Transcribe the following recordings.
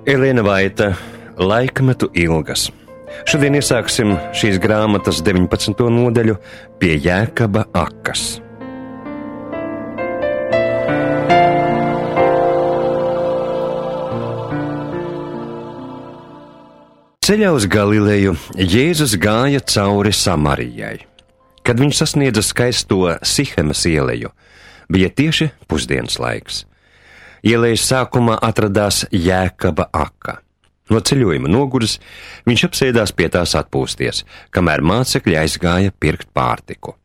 Elēna Vaita, Laikmetu ilgas. Šodien iesāksim šīs grāmatas 19. nodaļu pie Jēkaba akas. Ceļā uz Galileju Jēzus gāja cauri Samarijai. Kad viņš sasniedza skaisto Sihemas ieleju, bija tieši pusdienas laiks. Ielejas sākumā atradās Jēkaba aka. No ceļojuma noguris, viņš apsēdās pie tās atpūsties, kamēr mācekļi aizgāja pirkt pārtiku.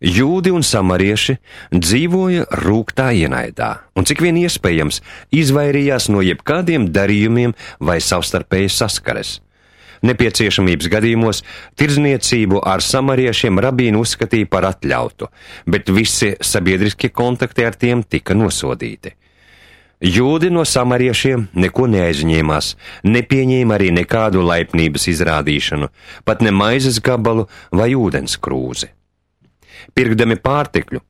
Jūdi un samarieši dzīvoja rūgtā ienaidā, un cik vien iespējams izvairījās no jebkādiem darījumiem vai savstarpējas saskares. Nepieciešamības gadījumos tirdzniecību ar samariešiem rabīni uzskatīja par atļautu, bet visi sabiedriskie kontakti ar tiem tika nosodīti. Jūdi no samariešiem neko neaizņēmās, nepieņēma arī nekādu laipnības izrādīšanu, pat ne maizes gabalu vai ūdens krūzi. Pirkdami pārtikļu,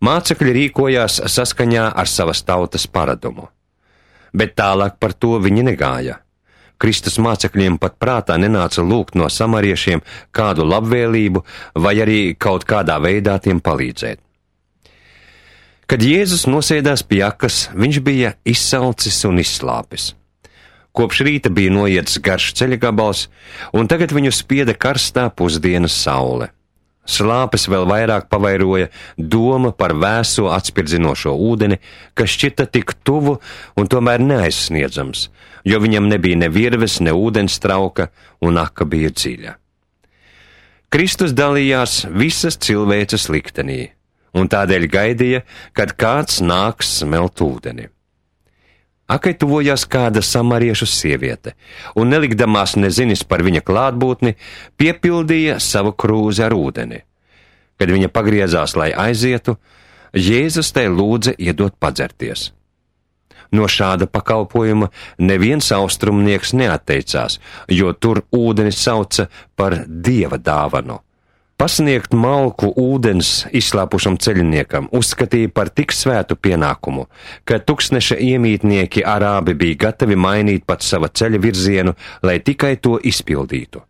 mācekļi rīkojās saskaņā ar savas tautas paradumu. Bet tālāk par to viņi negāja. Kristus mācekļiem pat prātā nenāca lūgt no samariešiem kādu labvēlību vai arī kaut kādā veidā tiem palīdzēt. Kad Jēzus nosēdās pie akas, viņš bija izsalcis un izslāpis. Kopš rīta bija noiets garš ceļa gabals, un tagad viņu spieda karstā pusdienas saule. Slāpes vēl vairāk pavairoja doma par vēso atspirdzinošo ūdeni, kas šķita tik tuvu un tomēr neaizsniedzams, jo viņam nebija ne virves, ne ūdens trauka, un aka bija dziļa. Kristus dalījās visas cilvēces liktenī, un tādēļ gaidīja, kad kāds nāks smelt ūdeni. Akai tuvojās kāda samariešu sieviete, un nelikdamās nezinis par viņa klātbūtni, piepildīja savu krūzi ar ūdeni. Kad viņa pagriezās, lai aizietu, Jēzus tai lūdza iedot padzerties. No šāda pakalpojuma neviens austrumnieks neatteicās, jo tur ūdeni sauca par Dieva dāvanu. Pasniegt malku ūdens izslāpušam ceļiniekam uzskatīja par tik svētu pienākumu, ka tūkstneša iemītnieki arābi bija gatavi mainīt pat sava ceļa virzienu, lai tikai to izpildītu.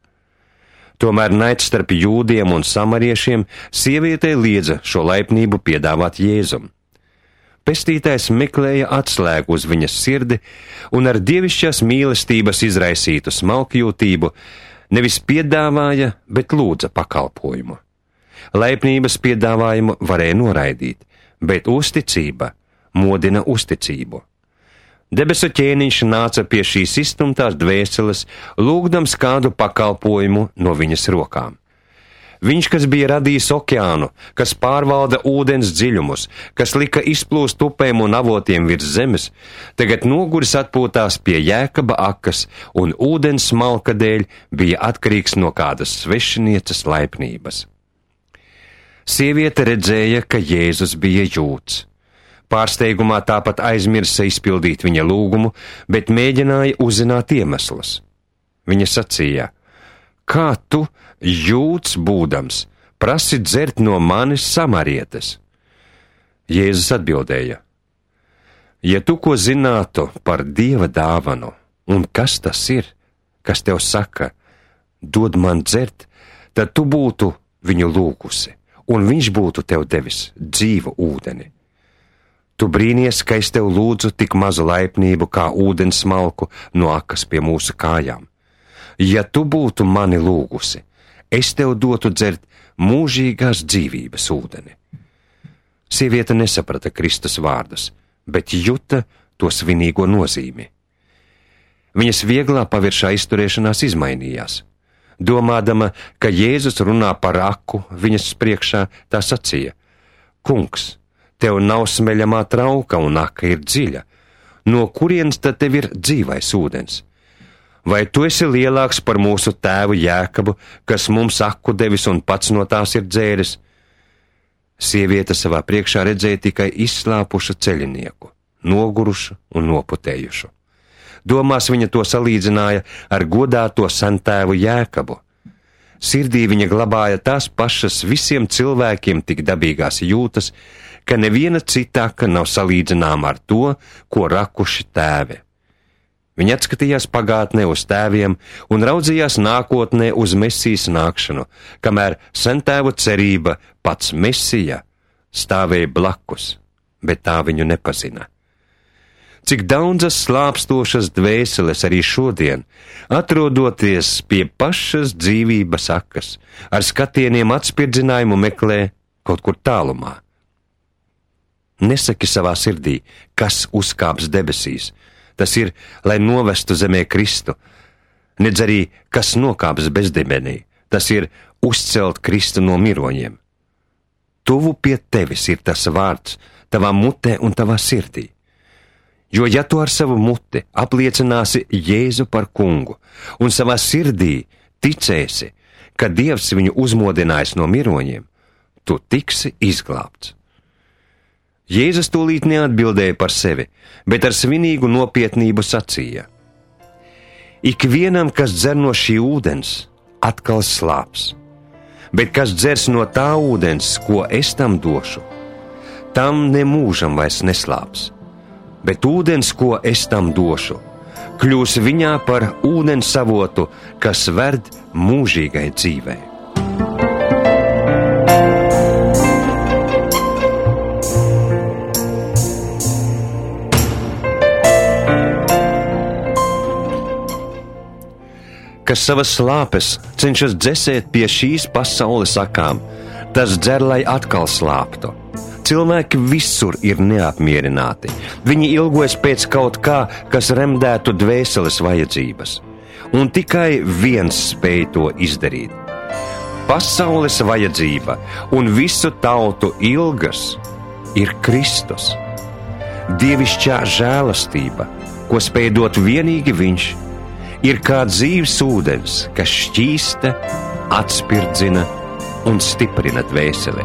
Tomēr naids starp jūdiem un samariešiem sievietei liedza šo laipnību piedāvāt Jēzum. Pestītājs meklēja atslēgu uz viņas sirdi un ar dievišķās mīlestības izraisītu smalkjūtību nevis piedāvāja, bet lūdza pakalpojumu. Laipnības piedāvājumu varēja noraidīt, bet uzticība modina uzticību. Debesu ķēniņš nāca pie šīs izstumtās dvēseles, lūgdams kādu pakalpojumu no viņas rokām. Viņš, kas bija radījis okeānu, kas pārvalda ūdens dziļumus, kas lika izplūst upēm un avotiem virs zemes, tagad noguris atpūtās pie Jēkaba akas un ūdens smalka dēļ bija atkarīgs no kādas svešinieces laipnības. Sieviete redzēja, ka Jēzus bija jūds. Pārsteigumā tāpat aizmirsa izpildīt viņa lūgumu, bet mēģināja uzzināt iemeslus. Viņa sacīja: kā tu, jūds būdams, prasi dzert no manis samarietes? Jēzus atbildēja: ja tu ko zinātu par Dieva dāvanu, un kas tas ir, kas tev saka, dod man dzert, tad tu būtu viņu lūgusi, un viņš būtu tev devis dzīvu ūdeni. Tu brīnies, ka es tev lūdzu tik mazu laipnību kā ūdens smalku no akas pie mūsu kājām. Ja tu būtu mani lūgusi, es tev dotu dzert mūžīgās dzīvības ūdeni. Sieviete nesaprata Kristus vārdus, bet juta to svinīgo nozīmi. Viņas vieglā paviršā izturēšanās izmainījās. Domādama, ka Jēzus runā par aku viņas priekšā, tā sacīja: kungs, tev nav smeļamā trauka un aka ir dziļa. No kurienes tad tev ir dzīvais ūdens? Vai tu esi lielāks par mūsu tēvu Jēkabu, kas mums aku devis un pats no tās ir dzēris? Sieviete savā priekšā redzēja tikai izslāpušu ceļinieku, nogurušu un noputējušu. Domās viņa to salīdzināja ar godāto sentēvu Jēkabu. Sirdī viņa glabāja tās pašas visiem cilvēkiem tik dabīgās jūtas, ka neviena cita aka nav salīdzināma ar to, ko rakuši tēvi. Viņi atskatījās pagātnē uz tēviem un raudzījās nākotnē uz Mesijas nākšanu, kamēr sentēvu cerība, pats Mesija, stāvēja blakus, bet tā viņu nepazina. Cik daudzas slāpstošas dvēseles arī šodien, atrodoties pie pašas dzīvības akas, ar skatieniem atspirdzinājumu meklē kaut kur tālumā. Nesaki savā sirdī, kas uzkāps debesīs. Tas ir, lai novestu zemē Kristu, nedz arī, kas nokāps bezdibenī. Tas ir uzcelt Kristu no miroņiem. Tuvu pie tevis ir tas vārds, tavā mutē un tavā sirdī. Jo ja tu ar savu muti apliecināsi Jēzu par kungu un savā sirdī ticēsi, ka Dievs viņu uzmodinājis no miroņiem, tu tiksi izglābts. Jēzus tūlīt neatbildēja par sevi, bet ar svinīgu nopietnību sacīja: Ikvienam, kas dzer no šī ūdens, atkal slāps, bet kas dzers no tā ūdens, ko es tam došu, tam nemūžam vairs neslāps, bet ūdens, ko es tam došu, kļūs viņā par ūdens avotu, kas ved mūžīgai dzīvei. Kas savas slāpes cenšas dzesēt pie šīs pasaules akām, tas dzer, lai atkal slāptu. Cilvēki visur ir neapmierināti. Viņi ilgojas pēc kaut kā, kas remdētu dvēseles vajadzības. Un tikai viens spēj to izdarīt. Pasaules vajadzība un visu tautu ilgas ir Kristus. Dievišķā žēlastība, ko spēj dot vienīgi Viņš, ir kā dzīves ūdens, kas šķīsta, atspirdzina un stiprina dvēseli.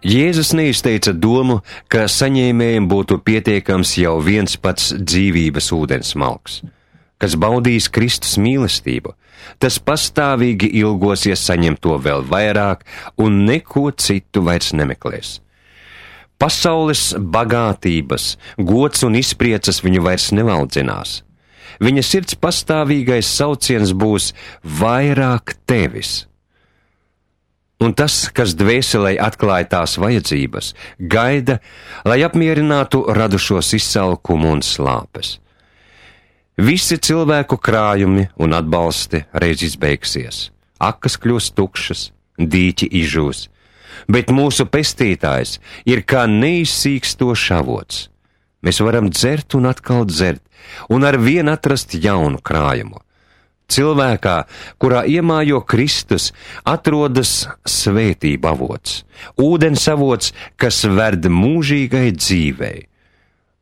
Jēzus neizteica domu, ka saņēmējiem būtu pietiekams jau viens pats dzīvības ūdens malks, kas baudīs Kristus mīlestību. Tas pastāvīgi ilgosies saņemt to vēl vairāk un neko citu vairs nemeklēs. Pasaules bagātības, gods un izpriecas viņu vairs nevaldzinās. Viņa sirds pastāvīgais sauciens būs vairāk tevis. Un tas, kas dvēselei atklāja tās vajadzības, gaida, lai apmierinātu radušos izsalkumu un slāpes. Visi cilvēku krājumi un atbalsti reiz izbeigsies, akas kļūs tukšas, dīķi izžūs, bet mūsu pestītājs ir kā neizsīkstošs avots. Mēs varam dzert un atkal dzert, un ar vien atrast jaunu krājumu. Cilvēkā, kurā iemājo Kristus, atrodas svētība avots, ūdens avots, kas ved mūžīgai dzīvei.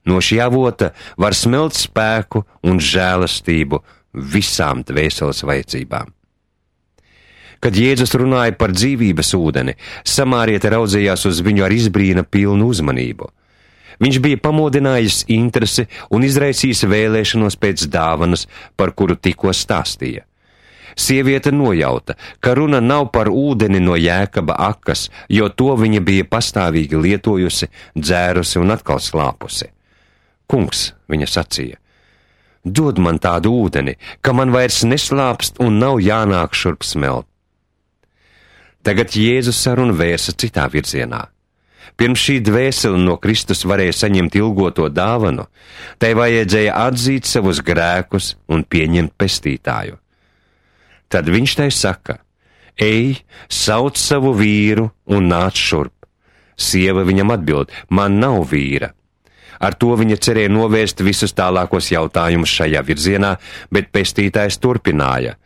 No šī avota var smelt spēku un žēlastību visām dvēseles vajadzībām. Kad Jēzus runāja par dzīvības ūdeni, samāriete raudzījās uz viņu ar izbrīna pilnu uzmanību. Viņš bija pamodinājis interesi un izraisījis vēlēšanos pēc dāvanas, par kuru tikko stāstīja. Sieviete nojauta, ka runa nav par ūdeni no Jēkaba akas, jo to viņa bija pastāvīgi lietojusi, dzērusi un atkal slāpusi. Kungs, viņa sacīja, dod man tādu ūdeni, ka man vairs neslāpst un nav jānāk šurp smelt. Tagad Jēzus sarunu vērsa citā virzienā. Pirms šī dvēsele no Kristus varēja saņemt ilgoto dāvanu, tai vajadzēja atzīt savus grēkus un pieņemt pestītāju. Tad viņš tai saka: Ej, sauc savu vīru un nāc šurp. Sieva viņam atbild: Man nav vīra. Ar to viņa cerēja novērst visus tālākos jautājumus šajā virzienā, bet pestītājs turpināja: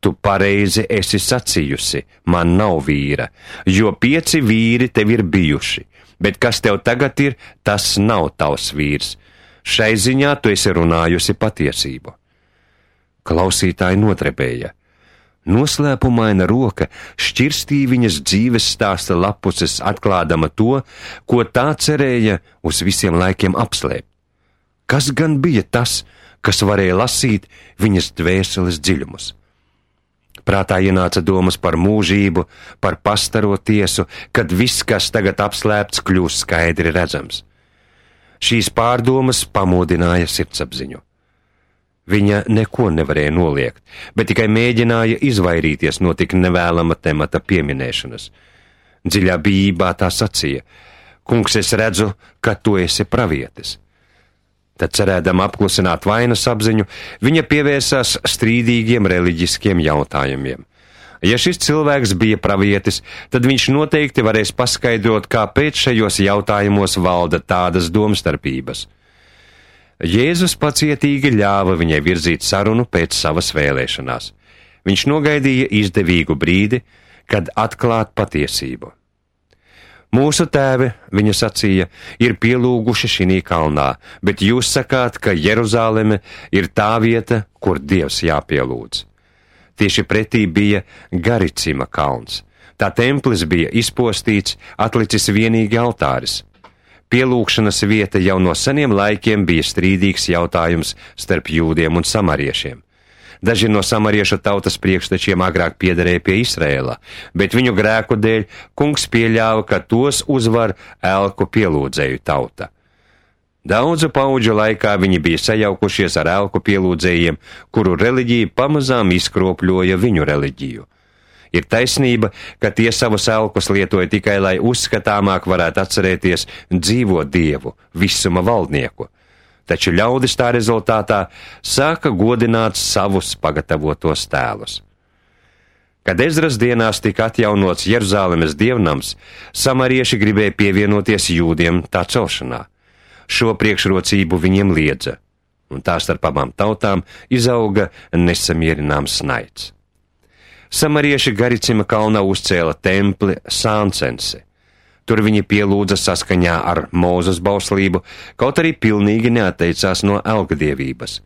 Tu pareizi esi sacījusi, man nav vīra, jo 5 vīri tev ir bijuši, bet kas tev tagad ir, tas nav tavs vīrs. Šai ziņā tu esi runājusi patiesību. Klausītāji nodrebēja. Noslēpumaina roka šķirstīja viņas dzīves stāsta lapuses, atklādama to, ko tā cerēja uz visiem laikiem apslēpt. Kas gan bija tas, kas varēja lasīt viņas dvēseles dziļumus? Prātā ienāca domas par mūžību, par pastaro tiesu, kad viss, kas tagad apslēpts, kļūst skaidri redzams. Šīs pārdomas pamodināja sirdsapziņu. Viņa neko nevarēja noliegt, bet tikai mēģināja izvairīties no tik nevēlama temata pieminēšanas. Dziļā bijībā tā sacīja: Kungs, es redzu, ka tu esi pravietis. Tad, cerēdama apklusināt vainas apziņu, viņa pievērsās strīdīgiem reliģiskiem jautājumiem. Ja šis cilvēks bija pravietis, tad viņš noteikti varēs paskaidrot, kāpēc šajos jautājumos valda tādas domstarpības. Jēzus pacietīgi ļāva viņai virzīt sarunu pēc savas vēlēšanās. Viņš nogaidīja izdevīgu brīdi, kad atklāt patiesību. Mūsu tēvi, viņa sacīja, ir pielūguši šinī kalnā, bet jūs sakāt, ka Jeruzāleme ir tā vieta, kur Dievs jāpielūdz. Tieši pretī bija Garicima kalns. Tā templis bija izpostīts, atlicis vienīgi altāris. Pielūgšanas vieta jau no seniem laikiem bija strīdīgs jautājums starp jūdiem un samariešiem. Daži no samariešu tautas priekštečiem agrāk piederēja pie Izraēla, bet viņu grēku dēļ kungs pieļāva, ka tos uzvar elku pielūdzēju tauta. Daudzu paudžu laikā viņi bija sajaukušies ar elku pielūdzējiem, kuru reliģija pamazām izkropļoja viņu reliģiju. Ir taisnība, ka tie savus elkus lietoja tikai, lai uzskatāmāk varētu atcerēties dzīvo Dievu, visuma valdnieku. Taču ļaudis tā rezultātā sāka godināt savus pagatavotos tēlus. Kad Ezras dienās tika atjaunots Jeruzālemes dievnams, samarieši gribēja pievienoties jūdiem tā celšanā. Šo priekšrocību viņiem liedza, un tā starp abām tautām izauga nesamierināms naids. Samarieši Garicima kalnā uzcēla templi Sāncensi. Tur viņi pielūdza saskaņā ar Mūzes bauslību, kaut arī pilnīgi neatteicās no elgdievības,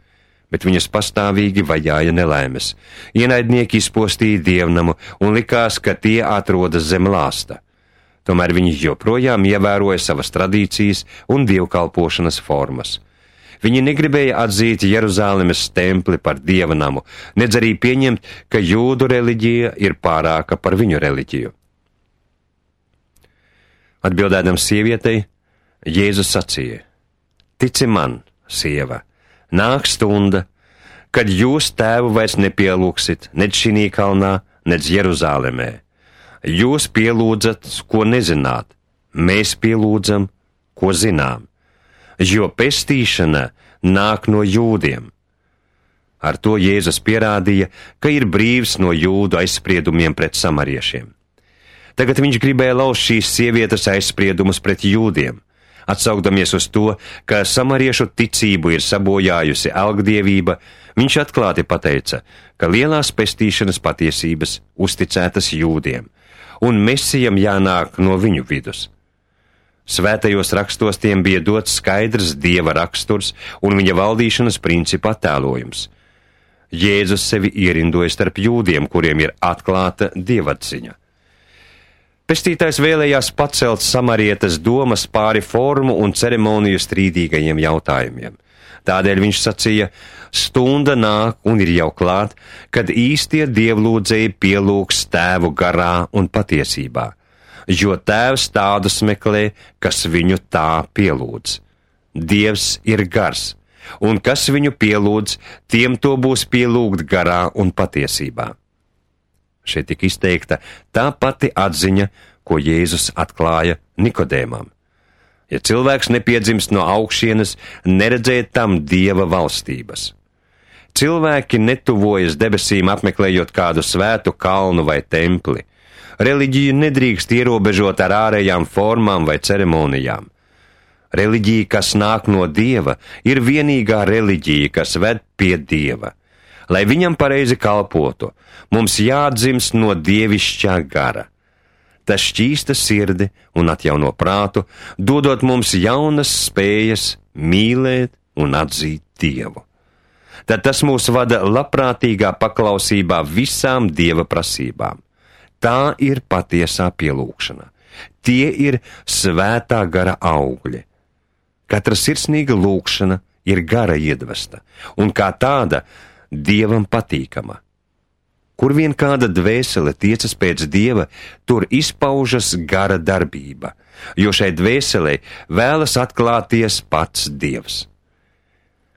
bet viņus pastāvīgi vajāja nelaimes. Ienaidnieki izpostīja dievnamu un likās, ka tie atrodas zem lāsta. Tomēr viņi joprojām ievēroja savas tradīcijas un dievkalpošanas formas. Viņi negribēja atzīt Jeruzālemes templi par dievnamu, nedz arī pieņemt, ka jūdu reliģija ir pārāka par viņu reliģiju. Atbildēdams sievietei, Jēzus sacīja: Tici man, sieva, nāk stunda, kad jūs tēvu vairs nepielūgsit, nec šinī kalnā, nec Jeruzālemē. Jūs pielūdzat, ko nezināt, mēs pielūdzam, ko zinām, jo pestīšana nāk no jūdiem. Ar to Jēzus pierādīja, ka ir brīvs no jūdu aizspriedumiem pret samariešiem. Tagad viņš gribēja lauzt šīs sievietes aizspriedumus pret jūdiem, atsaukdamies uz to, ka samariešu ticību ir sabojājusi elgdievība. Viņš atklāti pateica, ka lielās pestīšanas patiesības uzticētas jūdiem, un Mesijam jānāk no viņu vidus. Svētajos rakstos tiem bija dots skaidrs Dieva raksturs un viņa valdīšanas principu attēlojums. Jēzus sevi ierindoja starp jūdiem, kuriem ir atklāta dievatziņa. Pestītājs vēlējās pacelt samarietes domas pāri formu un ceremoniju strīdīgajiem jautājumiem. Tādēļ viņš sacīja: stunda nāk un ir jau klāt, kad īstie dievlūdzēji pielūgs tēvu garā un patiesībā, jo tēvs tādus meklē, kas viņu tā pielūdz. Dievs ir gars, un kas viņu pielūdz, tiem to būs pielūgt garā un patiesībā. Šeit tika izteikta tā pati atziņa, ko Jēzus atklāja Nikodēmam. Ja cilvēks nepiedzimst no augšienes, neredzēt tam Dieva valstības. Cilvēki netuvojas debesīm apmeklējot kādu svētu kalnu vai templi. Reliģiju nedrīkst ierobežot ar ārējām formām vai ceremonijām. Reliģija, kas nāk no Dieva, ir vienīgā reliģija, kas ved pie Dieva. Lai viņam pareizi kalpotu, mums jāatdzimst no dievišķā gara. Tas šķīsta sirdi un atjauno prātu, dodot mums jaunas spējas mīlēt un atzīt Dievu. Tad tas mūs vada labprātīgā paklausībā visām Dieva prasībām. Tā ir patiesā pielūgšana. Tie ir svētā gara augļi. Katra sirsnīga lūgšana ir gara iedvesta, un kā tāda Dievam patīkama. Kur vien kāda dvēsele tiecas pēc Dieva, tur izpaužas gara darbība, jo šai dvēselei vēlas atklāties pats Dievs.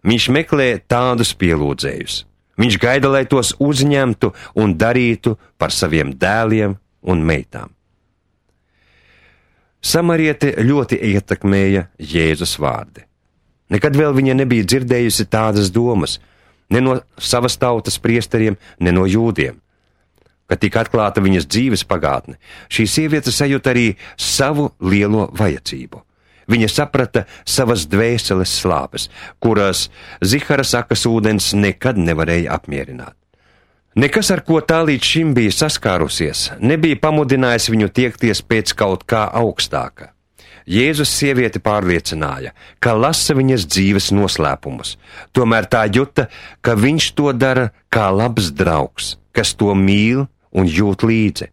Viņš meklē tādus pielūdzējus. Viņš gaida, lai tos uzņemtu un darītu par saviem dēliem un meitām. Samariete ļoti ietekmēja Jēzus vārdi. Nekad vēl viņa nebija dzirdējusi tādas domas, ne no savas tautas priesteriem, ne no jūdiem. Kad tika atklāta viņas dzīves pagātne, šī sieviete sajūta arī savu lielo vajadzību. Viņa saprata savas dvēseles slāpes, kuras Zihara sakas ūdens nekad nevarēja apmierināt. Nekas, ar ko tā līdz šim bija saskārusies, nebija pamudinājis viņu tiekties pēc kaut kā augstāka. Jēzus sievieti pārliecināja, ka lasa viņas dzīves noslēpumus, tomēr tā juta, ka viņš to dara kā labs draugs, kas to mīl un jūt līdzi.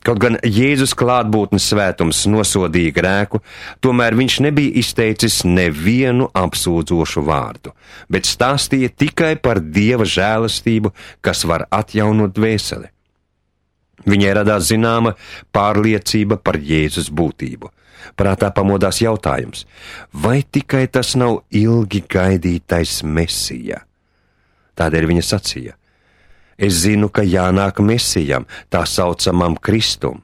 Kaut gan Jēzus klātbūtnes svētums nosodīja grēku, tomēr viņš nebija izteicis nevienu apsūdzošu vārdu, bet stāstīja tikai par Dieva žēlastību, kas var atjaunot dvēseli. Viņai radās zināma pārliecība par Jēzus būtību. Prātā pamodās jautājums, vai tikai tas nav ilgi gaidītais Mesija? Tādēļ viņa sacīja: es zinu, ka jānāk Mesijam, tā saucamam Kristum.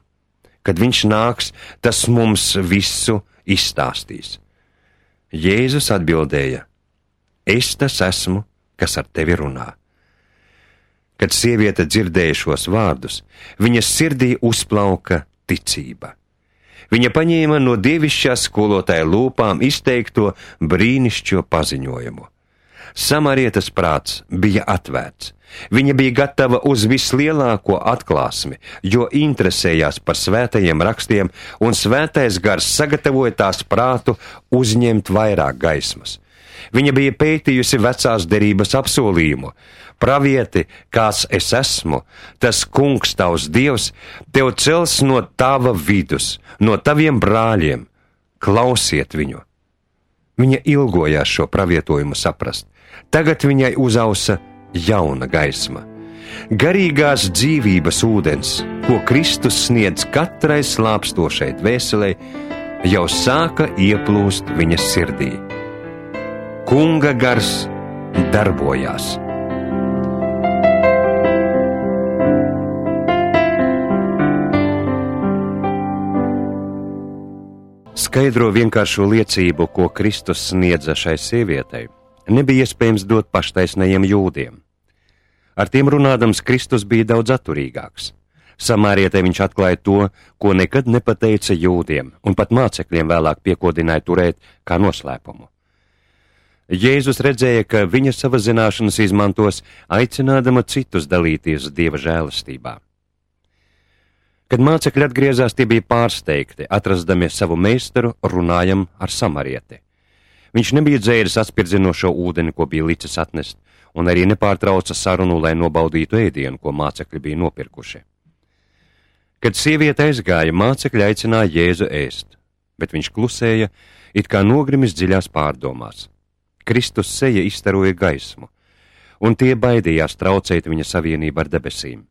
Kad viņš nāks, tas mums visu izstāstīs. Jēzus atbildēja: es tas esmu, kas ar tevi runā. Kad sieviete dzirdēja šos vārdus, viņas sirdī uzplauka ticība. Viņa paņēma no dievišķā skolotāja lūpām izteikto brīnišķo paziņojumu. Samarietes prāts bija atvērts. Viņa bija gatava uz vislielāko atklāsmi, jo interesējās par svētajiem rakstiem, un svētais gars sagatavoja tās prātu uzņemt vairāk gaismas. Viņa bija pētījusi vecās derības apsolījumu. Pravieti, kāds es esmu, tas kungs tavs Dievs, tev cels no tava vidus, no taviem brāļiem. Klausiet viņu! Viņa ilgojās šo pravietojumu saprast. Tagad viņai uzausa jauna gaisma. Garīgās dzīvības ūdens, ko Kristus sniedz katrai slāpstošai dvēselei, jau sāka ieplūst viņas sirdī. Kunga gars darbojās. Skaidro vienkāršo liecību, ko Kristus sniedza šai sievietei, nebija iespējams dot paštaisnajiem jūdiem. Ar tiem runādams Kristus bija daudz atturīgāks. Samārietei viņš atklāja to, ko nekad nepateica jūdiem, un pat mācekļiem vēlāk piekodināja turēt kā noslēpumu. Jēzus redzēja, ka viņa savas zināšanas izmantos, aicinādama citus dalīties Dieva žēlastībā. Kad mācekļi atgriezās, tie bija pārsteigti, atrastami savu meistaru runājam ar samarieti. Viņš nebija dzēris atspirdzinošo ūdeni, ko bija licis atnest, un arī nepārtrauca sarunu, lai nobaudītu ēdienu, ko mācekļi bija nopirkuši. Kad sieviete aizgāja, mācekļi aicināja Jēzu ēst, bet viņš klusēja, it kā nogrimis dziļās pārdomās. Kristus seja izstaroja gaismu, un tie baidījās traucēt viņa savienību ar debesīm.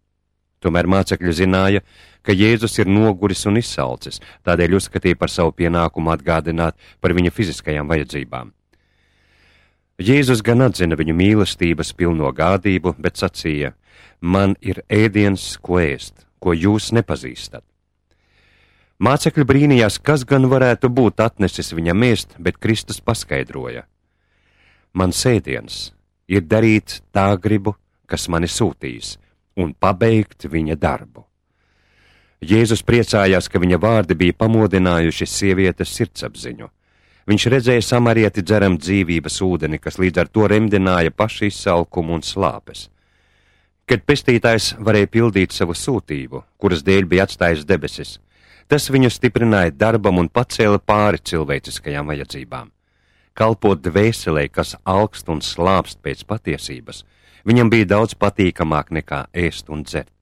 Tomēr mācekļi zināja, ka Jēzus ir noguris un izsalcis, tādēļ uzskatīja par savu pienākumu atgādināt par viņa fiziskajām vajadzībām. Jēzus gan atzina viņu mīlestības pilno gādību, bet sacīja: man ir ēdiens, ko ēst, ko jūs nepazīstat. Mācekļi brīnījās, kas gan varētu būt atnesis viņam ēst, bet Kristus paskaidroja: mans ēdiens ir darīt tā gribu, kas mani sūtīs, un pabeigt viņa darbu. Jēzus priecājās, ka viņa vārdi bija pamodinājuši sievietes sirdsapziņu. Viņš redzēja samarieti dzeram dzīvības ūdeni, kas līdz ar to remdināja pašu izsalkumu un slāpes. Kad pestītājs varēja pildīt savu sūtību, kuras dēļ bija atstājis debesis, tas viņu stiprināja darbam un pacēla pāri cilvēciskajām vajadzībām. Kalpot dvēselē, kas alkst un slāpst pēc patiesības, viņam bija daudz patīkamāk nekā ēst un dzert.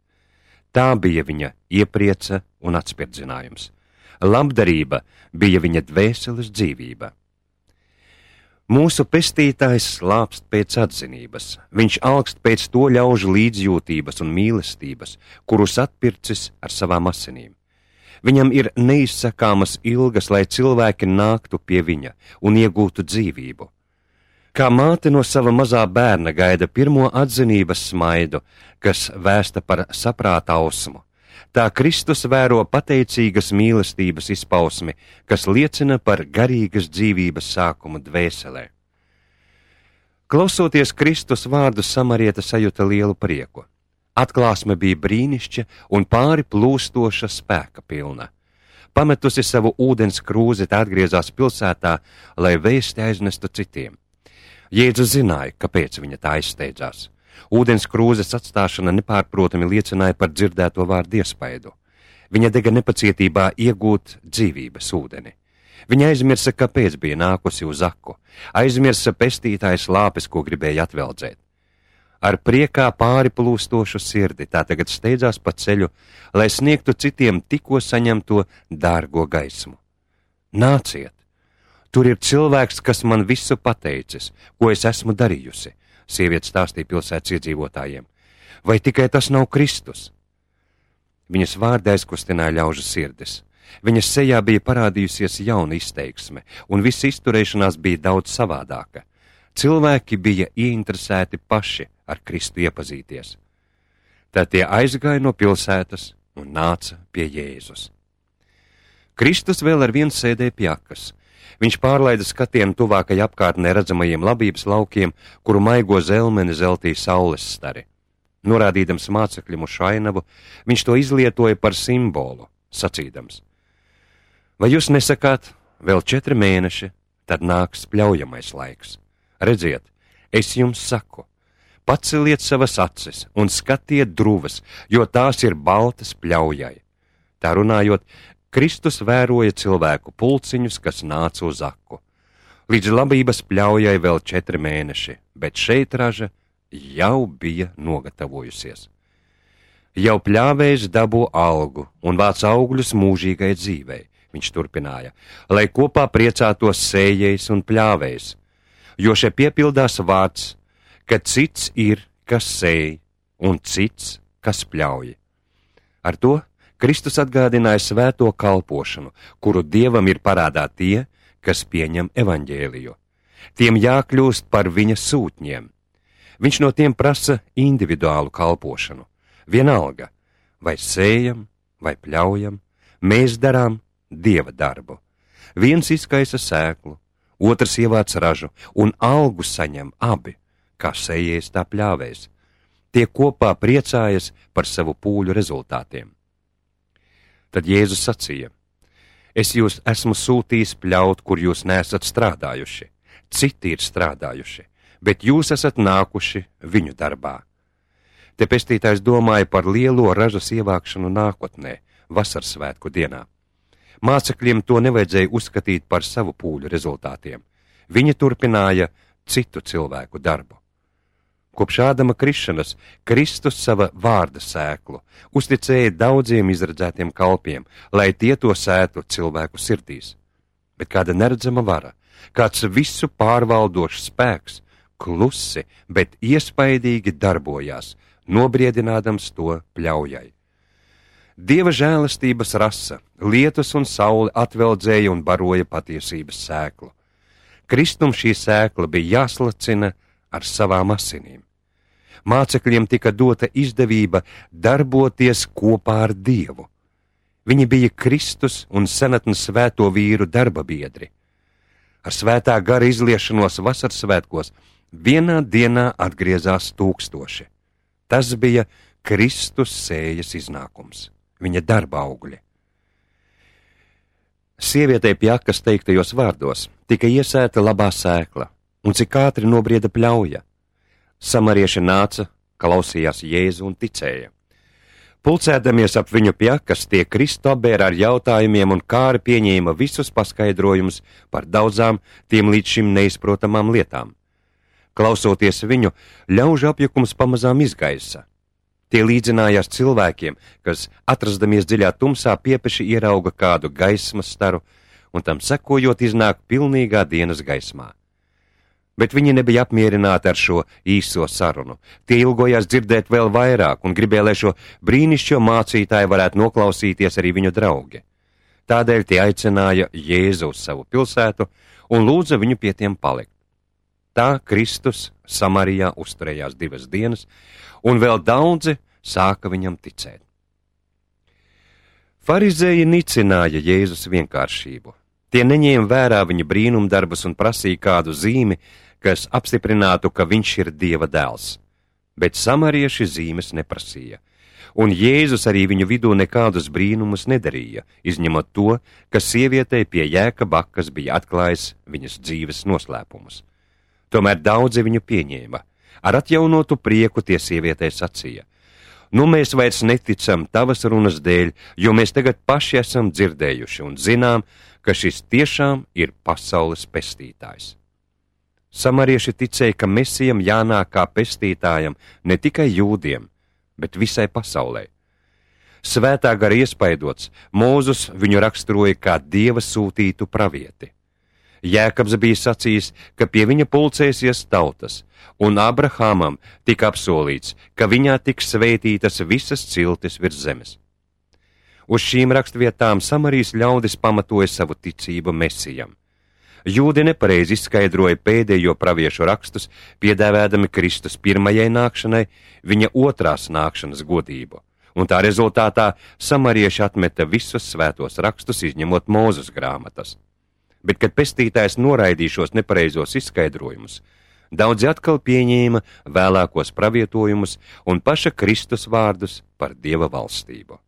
Tā bija viņa ieprieca un atspirdzinājums. Labdarība bija viņa dvēseles dzīvība. Mūsu pestītājs slāpst pēc atzinības, viņš alkst pēc to ļaužu līdzjūtības un mīlestības, kurus atpircis ar savām asinīm. Viņam ir neizsakāmas ilgas, lai cilvēki nāktu pie viņa un iegūtu dzīvību. Kā māte no sava mazā bērna gaida pirmo atzinības smaidu, kas vēsta par saprāta ausmu, tā Kristus vēro pateicīgas mīlestības izpausmi, kas liecina par garīgas dzīvības sākumu dvēselē. Klausoties Kristus vārdu, samarieta sajuta lielu prieku. Atklāsme bija brīnišķa un pāri plūstoša spēka pilna. Pametusi savu ūdens krūzi, tā atgriezās pilsētā, lai vēsti aiznestu citiem. Jēzus zināja, kāpēc viņa tā aizsteidzās. Ūdens krūzes atstāšana nepārprotami liecināja par dzirdēto vārdu iespaidu. Viņa dega nepacietībā iegūt dzīvības ūdeni. Viņa aizmirsa, kāpēc bija nākusi uz aku, aizmirsa pestītājas lāpes, ko gribēja atveldzēt. Ar priekā pāri plūstošu sirdi tā tagad steidzās pa ceļu, lai sniegtu citiem tikko saņemto dārgo gaismu. Nāciet! Tur ir cilvēks, kas man visu pateicis, ko es esmu darījusi, sieviete stāstīja pilsētas iedzīvotājiem. Vai tikai tas nav Kristus? Viņas vārdi aizkustināja ļaužu sirdis. Viņas sejā bija parādījusies jauna izteiksme, un visa izturēšanās bija daudz savādāka. Cilvēki bija ieinteresēti paši ar Kristu iepazīties. Tad tie aizgāja no pilsētas un nāca pie Jēzus. Kristus vēl ar vienu sēdēja pie akas. Viņš pārlaida skatienu tuvākai apkārtnē redzamajiem labības laukiem, kuru maigo zelmeni zeltīja saules stari. Norādīdams mācekļiem uz šainavu, viņš to izlietoja par simbolu, sacīdams: vai jūs nesakāt, vēl 4 mēneši, tad nāks pļaujamais laiks? Redziet, es jums saku, paceliet savas acis un skatiet druvas, jo tās ir baltas pļaujai. Tā runājot, Kristus vēroja cilvēku pulciņus, kas nāca uz aku. Līdz labības pļaujai vēl 4 mēneši, bet šeit raža jau bija nogatavojusies. Jau pļāvējs dabū algu un vāc augļus mūžīgai dzīvei, viņš turpināja, lai kopā priecātos sējējs un pļāvējs, jo šeit piepildās vārds, ka cits ir, kas sēj, un cits, kas pļauj. Ar to Kristus atgādināja svēto kalpošanu, kuru Dievam ir parādā tie, kas pieņem evaņģēliju. Tiem jākļūst par viņa sūtņiem. Viņš no tiem prasa individuālu kalpošanu. Vienalga, vai sējam, vai pļaujam, mēs darām Dieva darbu. Viens izkaisa sēklu, otrs ievāc ražu, un algu saņem abi, kā sējējs tā pļāvējs. Tie kopā priecājas par savu pūļu rezultātiem. Tad Jēzus sacīja: es jūs esmu sūtījis pļaut, kur jūs neesat strādājuši. Citi ir strādājuši, bet jūs esat nākuši viņu darbā. Te pestītājs domāja par lielo ražas ievākšanu nākotnē, vasarsvētku dienā. Mācekļiem to nevajadzēja uzskatīt par savu pūļu rezultātiem. Viņi turpināja citu cilvēku darbu. Kopš Ādama krišanas Kristus sava vārda sēklu uzticēja daudziem izredzētiem kalpiem, lai tie to sētu cilvēku sirdīs. Bet kāda neredzama vara, kāds visu pārvaldošs spēks, klusi, bet iespaidīgi darbojās, nobriedinādams to pļaujai. Dieva žēlastības rasa, lietus un saule atveldzēja un baroja patiesības sēklu. Kristum šī sēkla bija jāslacina ar savām asinīm. Mācekļiem tika dota izdevība darboties kopā ar Dievu. Viņi bija Kristus un senatnes svēto vīru darba biedri. Ar svētā gara izliešanos vasarsvētkos vienā dienā atgriezās 1000. Tas bija Kristus sējas iznākums, viņa darba augļi. Sievietei pie akas teiktajos vārdos tika iesēta labā sēkla, un cik ātri nobrieda pļauja. Samarieši nāca, klausījās Jēzu un ticēja. Pulcēdamies ap viņu pie akas, tie Kristu apbēra ar jautājumiem un kāri pieņēma visus paskaidrojumus par daudzām tiem līdz šim neizprotamām lietām. Klausoties viņu, ļaužu apjukums pamazām izgaisa. Tie līdzinājās cilvēkiem, kas, atrastamies dziļā tumsā, piepeši ierauga kādu gaismas staru, un tam sekojot iznāk pilnīgā dienas gaismā. Bet viņi nebija apmierināti ar šo īso sarunu. Tie ilgojās dzirdēt vēl vairāk un gribēja, lai šo brīnišķo mācītāju varētu noklausīties arī viņu draugi. Tādēļ tie aicināja Jēzu uz savu pilsētu un lūdza viņu pie tiem palikt. Tā Kristus Samarijā uzturējās 2 dienas, un vēl daudzi sāka viņam ticēt. Farizēji nicināja Jēzus vienkāršību. Tie neņēma vērā viņa brīnumdarbus un prasīja kādu zīmi, kas apstiprinātu, ka viņš ir Dieva dēls. Bet samarieši zīmes neprasīja, un Jēzus arī viņu vidū nekādus brīnumus nedarīja, izņemot to, ka sievietei pie jēka bakas bija atklājis viņas dzīves noslēpumus. Tomēr daudzi viņu pieņēma. Ar atjaunotu prieku tie sievietei sacīja: Nu, mēs vairs neticam tavas runas dēļ, jo mēs tagad paši esam dzirdējuši un zinām, ka šis tiešām ir pasaules pestītājs. Samarieši ticēja, ka Mesijam jānāk kā pestītājam ne tikai jūdiem, bet visai pasaulē. Svētā gara iespaidots, Mūzus viņu raksturoja kā Dieva sūtītu pravieti. Jēkabs bija sacījis, ka pie viņa pulcēsies tautas, un Abrahamam tika apsolīts, ka viņā tiks svētītas visas ciltis virs zemes. Uz šīm rakstvietām Samarijas ļaudis pamatoja savu ticību Mesijam. Jūdi nepareizi izskaidroja pēdējo praviešu rakstus, piedāvādami Kristus pirmajai nākšanai viņa otrās nākšanas godību, un tā rezultātā samarieši atmeta visus svētos rakstus, izņemot Mūzes grāmatas. Bet, kad pestītājs noraidīja šos nepareizos izskaidrojumus, daudzi atkal pieņēma vēlākos pravietojumus un paša Kristus vārdus par Dieva valstību.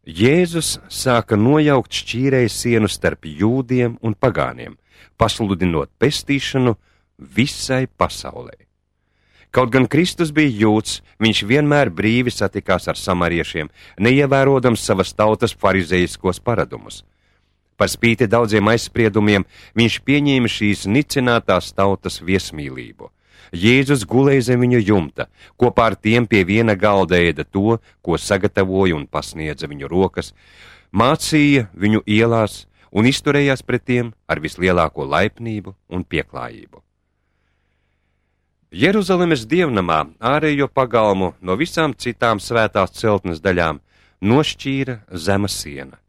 Jēzus sāka nojaukt šķīrēju sienu starp jūdiem un pagāniem, pasludinot pestīšanu visai pasaulē. Kaut gan Kristus bija jūds, viņš vienmēr brīvi satikās ar samariešiem, neievērojams savas tautas farizējiskos paradumus. Par spīti daudziem aizspriedumiem viņš pieņēma šīs nicinātās tautas viesmīlību. Jēzus gulēja zem viņu jumta, kopā ar tiem pie viena galda ēda to, ko sagatavoja un pasniedza viņu rokas, mācīja viņu ielās un izturējās pret tiem ar vislielāko laipnību un pieklājību. Jeruzalemes dievnamā ārējo pagalmu no visām citām svētās celtnes daļām nošķīra zema siena.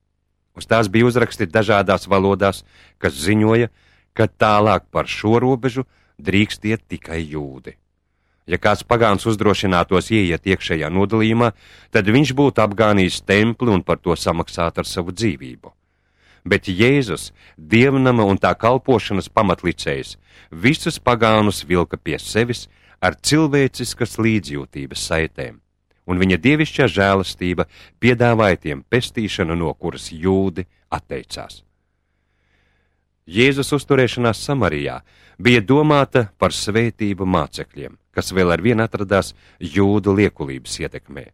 Uz tās bija uzrakstīti dažādās valodās, kas ziņoja, ka tālāk par šo robežu drīkst iet tikai jūdi. Ja kāds pagāns uzdrošinātos ieiet iekšējā nodalījumā, tad viņš būtu apgānījis templi un par to samaksāt ar savu dzīvību. Bet Jēzus, dievnama un tā kalpošanas pamatlicējs, visus pagānus vilka pie sevis ar cilvēciskas līdzjūtības saitēm, un viņa dievišķā žēlastība piedāvāja tiem pestīšanu, no kuras jūdi atteicās. Jēzus uzturēšanās Samarijā bija domāta par svētību mācekļiem, kas vēl arvien atradās jūdu liekulības ietekmē.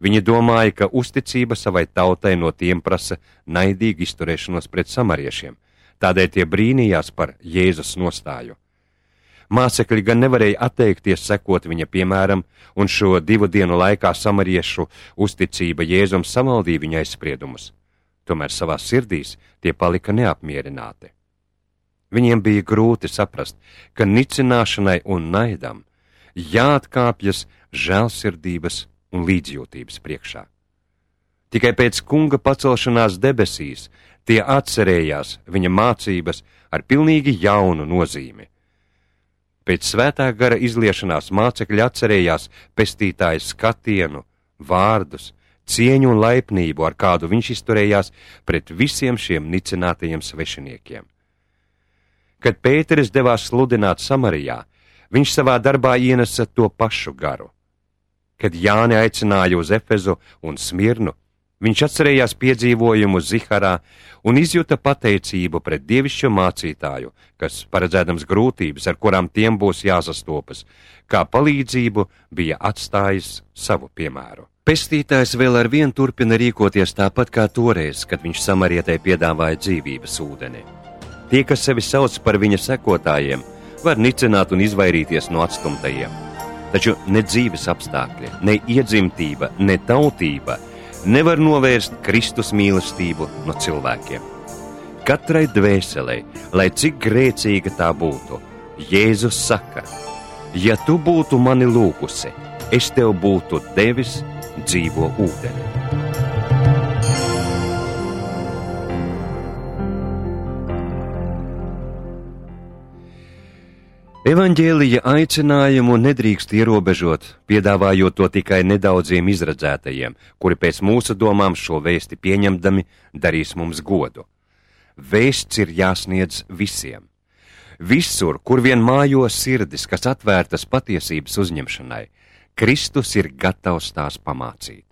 Viņi domāja, ka uzticība savai tautai no tiem prasa naidīgu izturēšanos pret samariešiem, tādēļ tie brīnījās par Jēzus nostāju. Mācekļi gan nevarēja atteikties sekot viņa piemēram, un šo 2 dienu laikā samariešu uzticība Jēzum samaldīja viņa aizspriedumus. Tomēr savās sirdīs tie palika neapmierināti. Viņiem bija grūti saprast, ka nicināšanai un naidam jāatkāpjas žēlsirdības un līdzjūtības priekšā. Tikai pēc kunga pacelšanās debesīs tie atcerējās viņa mācības ar pilnīgi jaunu nozīmi. Pēc svētā gara izliešanās mācekļi atcerējās pestītāja skatienu, vārdus, cieņu un laipnību, ar kādu viņš izturējās pret visiem šiem nicinātajiem svešiniekiem. Kad Pēteris devās sludināt Samarijā, viņš savā darbā ienesa to pašu garu. Kad Jāni aicināja uz Efezu un Smirnu, viņš atcerējās piedzīvojumu Ziharā un izjuta pateicību pret dievišķo mācītāju, kas, paredzēdams grūtības, ar kurām tiem būs jāsastopas, kā palīdzību bija atstājis savu piemēru. Pestītājs vēl arvien turpina rīkoties tāpat kā toreiz, kad viņš samarietei piedāvāja dzīvības ūdeni. Tie, kas sevi sauc par viņa sekotājiem, var nicināt un izvairīties no atstumtajiem. Taču ne dzīves apstākļi, ne iedzimtība, ne tautība nevar novērst Kristus mīlestību no cilvēkiem. katrai dvēselei, lai cik grēcīga tā būtu. Jēzus saka: ja tu būtu mani lūgusi, es tev būtu devis dzīvo ūdeni. Evaņģēlija aicinājumu nedrīkst ierobežot, piedāvājot to tikai nedaudziem izredzētajiem, kuri pēc mūsu domām šo vēsti pieņemdami darīs mums godu. Vēsts ir jāsniedz visiem. Visur, kur vien mājo sirdis, kas atvērtas patiesības uzņemšanai, Kristus ir gatavs tās pamācīt.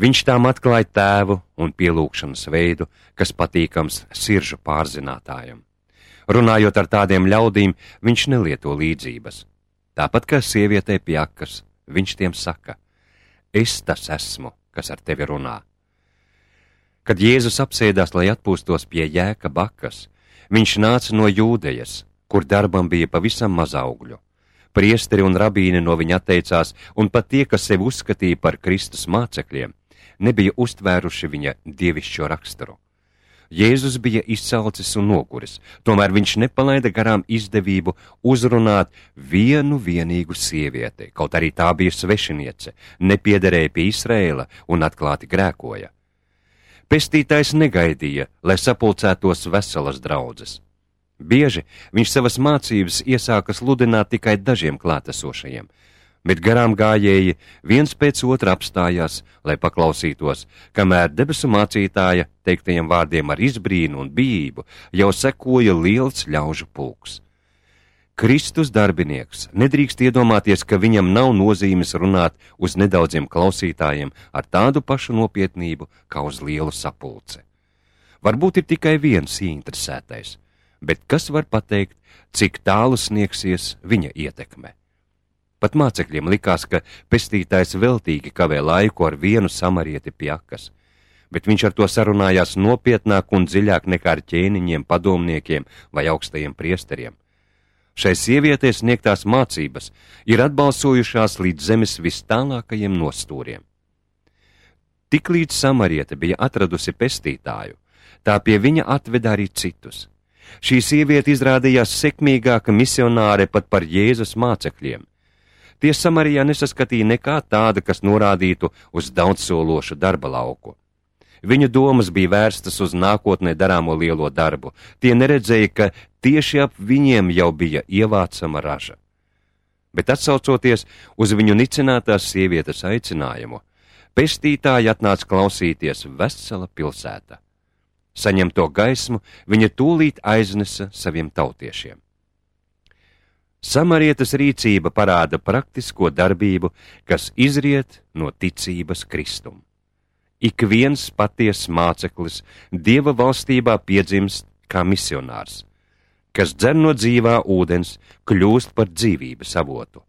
Viņš tām atklāja tēvu un pielūgšanas veidu, kas patīkams sirdžu pārzinātājam. Runājot ar tādiem ļaudīm, viņš nelieto līdzības. Tāpat kā sievietei pie akas, viņš tiem saka: es tas esmu, kas ar tevi runā. Kad Jēzus apsēdās, lai atpūstos pie Jēkaba akas, viņš nāca no Jūdejas, kur darbam bija pavisam maz augļu. Priesteri un rabīni no viņa atteicās, un pat tie, kas sevi uzskatīja par Kristus mācekļiem, nebija uztvēruši viņa dievišķo raksturu. Jēzus bija izsalcis un noguris, tomēr viņš nepalaida garām izdevību uzrunāt vienu vienīgu sievieti, kaut arī tā bija svešiniece, nepiederēja pie Izraēla un atklāti grēkoja. Pestītājs negaidīja, lai sapulcētos veselas draudzes. Bieži viņš savas mācības iesāka sludināt tikai dažiem klātesošajiem, bet garām gājēji viens pēc otra apstājās, lai paklausītos, kamēr debesu mācītāja teiktajiem vārdiem ar izbrīnu un bijību jau sekoja liels ļaužu pulks. Kristus darbinieks nedrīkst iedomāties, ka viņam nav nozīmes runāt uz nedaudziem klausītājiem ar tādu pašu nopietnību kā uz lielu sapulci. Varbūt ir tikai viens ieinteresētais, bet kas var pateikt, cik tālu sniegsies viņa ietekme? Pat mācekļiem likās, ka pestītājs veltīgi kavē laiku ar vienu samarieti pie akas, bet viņš ar to sarunājās nopietnāk un dziļāk nekā ar ķēniņiem, padomniekiem vai augstajiem priesteriem. Šai sievietei sniegtās mācības ir atbalsojušās līdz zemes vis tālākajiem nostūriem. Tiklīdz samariete bija atradusi pestītāju, tā pie viņa atveda arī citus. Šī sieviete izrādījās sekmīgāka misionāre pat par Jēzus mācekļiem. Tie Samarijā nesaskatīja nekā tāda, kas norādītu uz daudzsološu darba lauku. Viņu domas bija vērstas uz nākotnē darāmo lielo darbu. Tie neredzēja, ka tieši ap viņiem jau bija ievācama raža. Bet atsaucoties uz viņu nicinātās sievietes aicinājumu, pestītāji atnāca klausīties vesela pilsēta. Saņemto gaismu viņa tūlīt aiznesa saviem tautiešiem. Samarietes rīcība parāda praktisko darbību, kas izriet no ticības Kristum. Ik viens patiess māceklis Dieva valstībā piedzimst kā misionārs, kas dzer no dzīvā ūdens, kļūst par dzīvības avotu,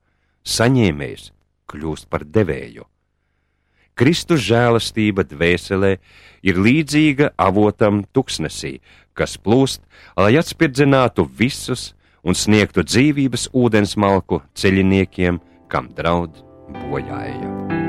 saņēmējs kļūst par devēju. Kristus žēlastība dvēselē ir līdzīga avotam tuksnesī, kas plūst, lai atspirdzinātu visus un sniegtu dzīvības ūdens malku ceļiniekiem, kam draud bojāja.